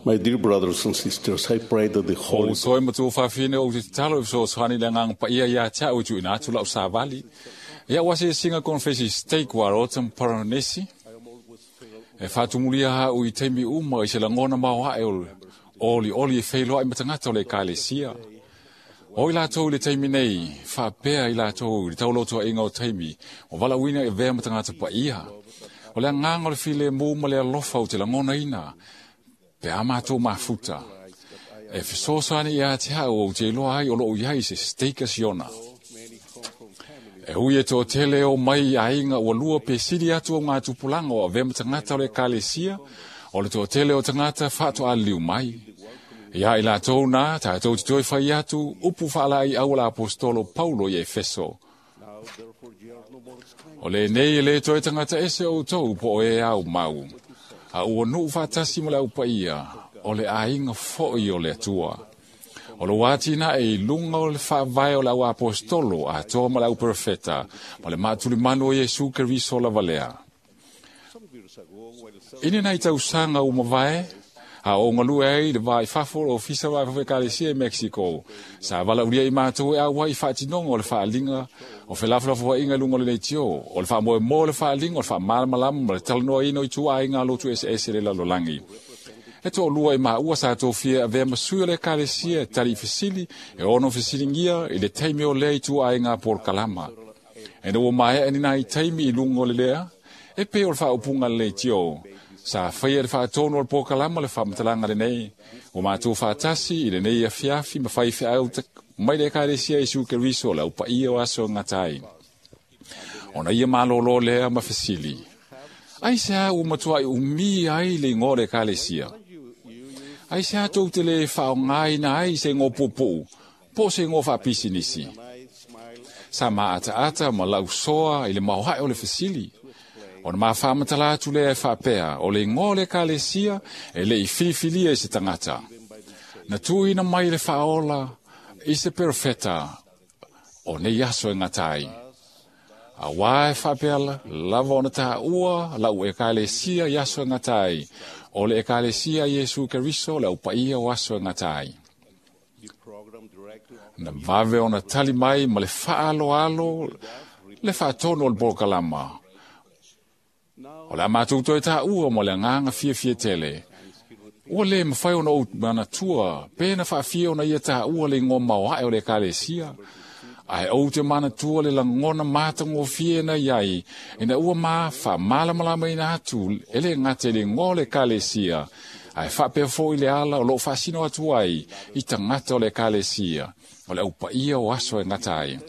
My dear brothers and sisters, I pray that the O Holy uso e matua faafine ou te tatalo e fesoasoani le agaga paia ia te au e tuuina atu lau savali. Ia ua asiasiga konefesi stake ua rota ma Paranesi. E faatumulia ha'u i taimi uma i se lagona maoae o le olioli e feiloai ma tagata o le ekalesia. O i latou i le taimi nei, faapea i latou i le taulautuaʻiga o taimi, ua valaauina e avea ma tagata paia. O le agaga o le filemu ma le alofa ou te lagonaina, pe a matou mafuta. E fesoasoani ia te au ou te iloa ai o loo i ai se stake a Siona. E ui e toatele o mai i aiga ua lua pe sili atu au gatupulaga o avea ma tagata o le ekalesia, o le toatele o tagata faatoaliliu mai. Ia i latou na, tatou te toe fai atu upu faalaeiau a le aposetolo Paulo i Efeso. O lenei e le toe tagata ese outou po o e ao mau, a ua nuu faatasi ma le au paia, o le aiga foi o le Atua. O lou atinae i luga o le faavae o le au aposetolo atoa ma le au perofeta, ma le maatulimanu o Iesu Keriso lava lea. I ni nai tausaga ua mavae, a o galue ai i le va i fafo o le Ofisa o Vae Ekalesia i Mexico, sa valaaulia i matou e auai i faatinoga o le faaaliga o felafolafoaiga i luga o le leitio, o le faamoemoe o le faaaliga o le faamalamalama ma le talanoaina o ituaiga lotu eseese i le lalolagi. E toalua i maua sa tofia e avea ma sui o le ekalesia e tali i fesili e ono fesiligia i le taimi o lea ituaiga polokalama. Ina ua maea ni nai taimi i luga o le lea, e pei o le faaupuga a le leitio, sa faia e le faatonu o le polokalama le faamatalaga lenei, ua matou faatasi i lenei afiafi ma faifeau mai le ekalesia Iesu Keriso o le au paia o aso e gata ai. Ona ia malōlō lea ma fesili, Aisea ua matuai umi ai le igoa o le ekalesia? Aisea tou te le faaaogaina ai se igoa puupuu po o se igoa faapisinisi? Sa maataata ma lausoa i le maoae o le fesili. Ona ma faamatala atu lea e faapea, o le igoa o le ekalesia e le i filifilia e se tagata. Na tuuina mai le faaola i se perofeta o nei aso e gata ai. Auā e faapea lava ona taua lau ekalesia i aso e gata ai, o le ekalesia a Iesu Keriso le au paia o aso e gata ai. Na vave ona tali mai ma le faaaloalo le faatonu o le polokalama. O le a matou toe taua ma le agaga fiafia tele. Ua le mafai ona ou manatua pe na faafia ona ia taua le igoa maoae o le ekalesia, ae ou te manatua le lagona matagofie na i ai ina ua ma faamalamalamaina atu e le gata i le igoa o le ekalesia, ae faapea foi le ala o loo faasino atu ai i tagata o le ekalesia, o le au paia o aso e gata ai.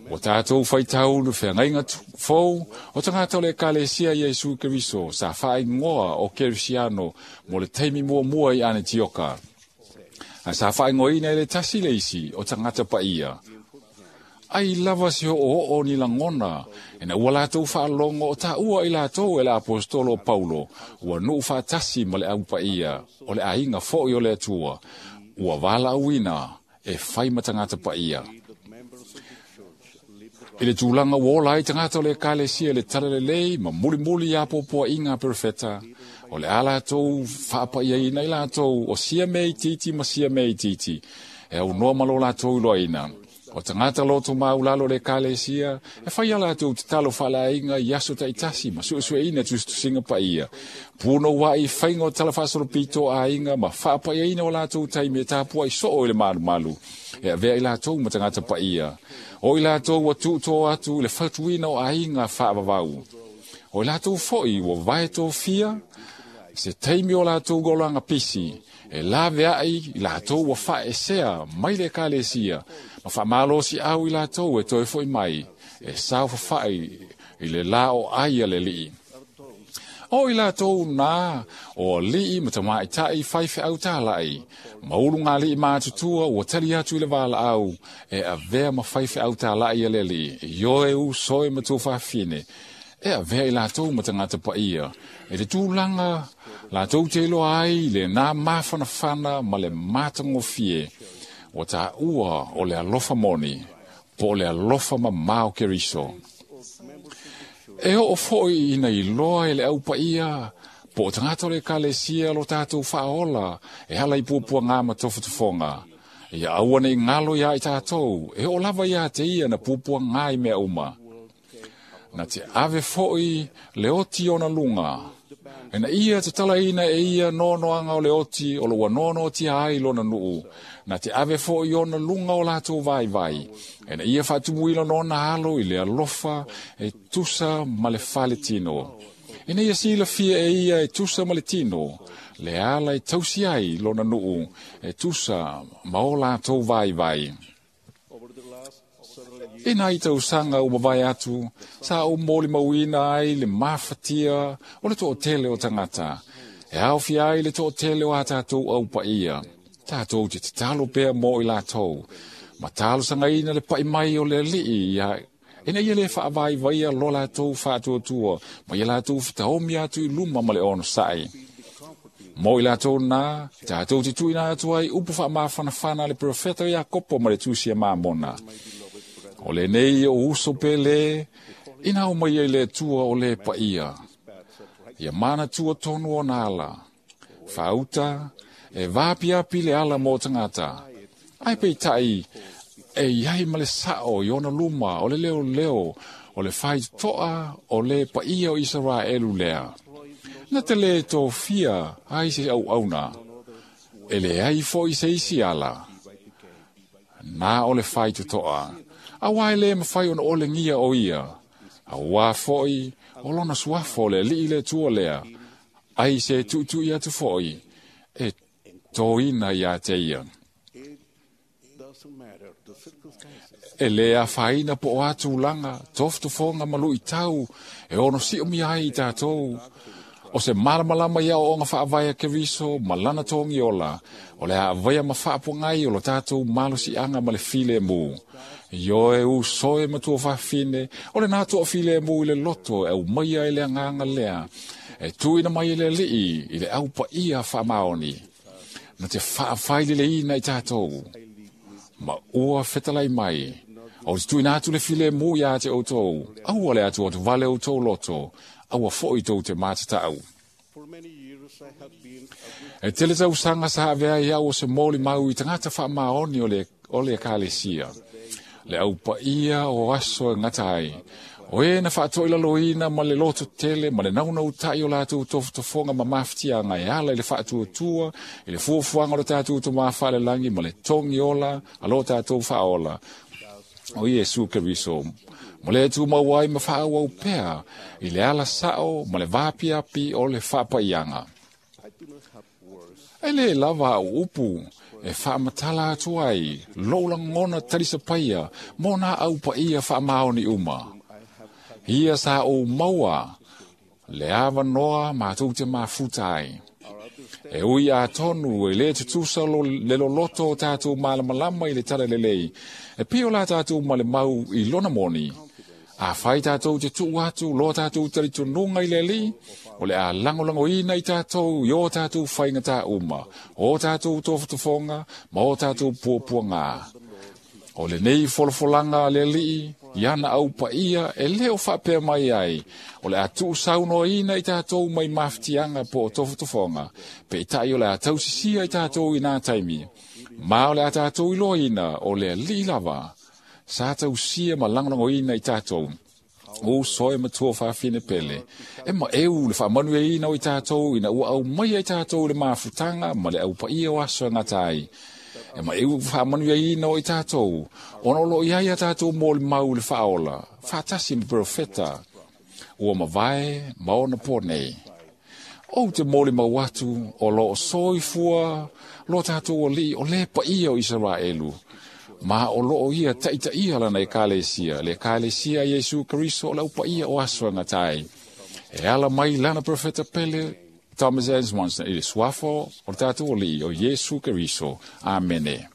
Ua tatou faitau le feagaiga fou o tagata o le ekalesia Iesu Keriso sa faaigoa o Kerisiano mo le taimi muamua i Anetioka. Ae sa faaigoaina e le tasi le isi o tagata paia. Ai lava se oooo ni lagona ina ua latou faalogo o taua i latou e le aposetolo o Paulo, ua nuu faatasi ma le au paia o le aiga foi o le Atua, ua valaauina e fai ma tagata paia. I le tulaga ua ola ai tagata o le ekalesia i le talalelei ma mulimuli i apoapoaiga a perofeta, o le a latou faapaiaina i latou o sia mea itiiti ma sia mea itiiti, e aunoa ma lo latou iloaina. O tagata loto maulalo o le ekalesia, e fai a latou tatalo faaleaiga i aso taitasi ma suesueina tusitusiga paia. Punouai i faiga o tala faasolopito o aiga ma faapaiaina o latou taimi e tapuai soo i le malumalu, e avea i latou ma tagata paia. O i latou ua tuutō atu i le fautuina o aiga faavavau. O i latou foi ua vae tofia se taimi o latou olaga pisi, e laveai i latou ua faaesea mai le ekalesia, ma faamalosiau i latou e toe foi mai, e saofafai i le la o ai a le Alii. O i latou na o alii ma tamaitai faifeau talai, ma ulugalii matutua ua tali atu i le valaau e avea ma faifeau talai a le Alii, ioe uso e ma tuafafine, e avea i latou ma tagata paia, i le tulaga latou te iloa ai le nā mafanafana ma le matagofie, ua taua o le alofa moni, po o le alofa mamao Keriso. E oo foi ina iloa e le au paia Po o tagata o le ekalesia lo tatou faaola e ala i puapuagā ma tofotofoga. Ia aua ne i galo iā i tatou, e oo lava iā te ia na puapuagā i mea uma. Na te ave foʻi le oti ona luga. Ina ia tatalaina e ia noanoaga o le oti o lo ua noanoatia ai lona nuu. Na te ave foʻi ona luga o latou vaivai. Ina ia faatumuina nona alo i le alofa e tusa ma le faletino. Ina ia silafia e ia e tusa ma le tino, le ala e tausi ai lona nuu e tusa ma o latou vaivai. I nai tausaga ua mavae atu, sa ou molimauina ai le mafatia o le toatele o tagata, e aofia ai le toatele o a tatou au paia. Tatou te tatalo pea mo i latou, ma talosagaina le pai mai o le Alii ia ina ia le faavaivaia lo latou faatuatua ma ia latou fetaomi atu i luma ma le onosai. Mo i latou na, tatou te tuuina atu ai upu faamafanafana a le perofeta o Iakopo ma le tusi a Mamona. O lenei o uso pele, ina o mai ai le Atua o le paia. Ia manatua tonu ona ala. Faauta, e vaapiapi le ala mo tagata. Ae peitai, e iai ma le sao i ona luma o le leoleo o le faitotoa o le paia o Isaraelu lea. Na te le tofia ai se auauna, e leai foi se isi ala. Na o le faitotoa, auā e le mafai ona olegia o ia, auā foi o lona suafa o le Alii le Atua lea, ai se tuitui atu foi e toina iā te ia. E le afaina po o a tulaga, tofotofoga ma luitau e ono siomia ai i tatou. O se malamalama i aoaoga faavae a Keriso ma lana togi ola, o le a avaea ma faapogai o lo tatou malosiaga ma le filemu. Ioe uso e matua fafine, o lena toafilemu i le loto e aumaia ai le agaga lea, e tuuina mai e le Alii i le au paia faamaoni, na te faafaileleina i tatou. Ma ua fetalai mai, o te tuuina atu le filemu iā te outou, aua le atuatuvale outou loto, aua foi tou te matatau. E tele tausaga sa avea ai au o se molimau i tagata faamaoni o le, o le ekalesia. Le au paia o aso e gata ai. O e na faatoilaloina ma le loto tele ma le naunautai o latou tofotofoga ma mafatiaga e ala i le faatuatua i le fuafuaga o le tatou Tama Faalelagi ma le togi ola a lo tatou Faaola o Iesu Keriso. Ma le tumau ai ma faaauau pea i le ala sao ma le vaapiapi o le faapaiaga. E le lava au upu e faamatala atu ai lou lagona talisapaia mo nā au paia faamaoni uma. Ia sa ou maua le avanoa matou te mafuta ai. E ui atonu e le tutusa lo, le loloto o tatou malamalama i le talalelei, e pei o la tatou malemau i lona moni. Afai tatou te tuu atu lo tatou talitonuga i le Alii, o le a lagolagoina i tatou i o tatou faigatā uma, o tatou tofotofoga ma o tatou puapuagā. O lenei folafolaga a le Alii i ana au paia e le o faapea mai ai, o le a tuusaunoaina i tatou mai mafatiaga po o tofotofoga, peitai o le a tausisia i tatou i nā taimi, ma o le a tatou iloaina o le Alii lava sa tausia ma lagolagoina i tatou. Uso e matua fafine pele, e maeu le faamanuiaina o i tatou ina ua aumaia i tatou le mafutaga ma le au paia o aso e gata ai. E maeu faamanuiaina o i tatou, ona o lo o i ai a tatou molimau i le faaola, faatasi ma perofeta ua mavae ma ona po nei. Ou te molimau atu o lo o soifua lo tatou Alii o le paia o Isaraelu, ma o lo o ia taitaia lana ekalesia, le ekalesia a Iesu Keriso o le au paia o aso e gata ai. E ala mai lana profeta pele Thomas Edison i le suafa o le tatou Alii o Iesu Keriso. Amene.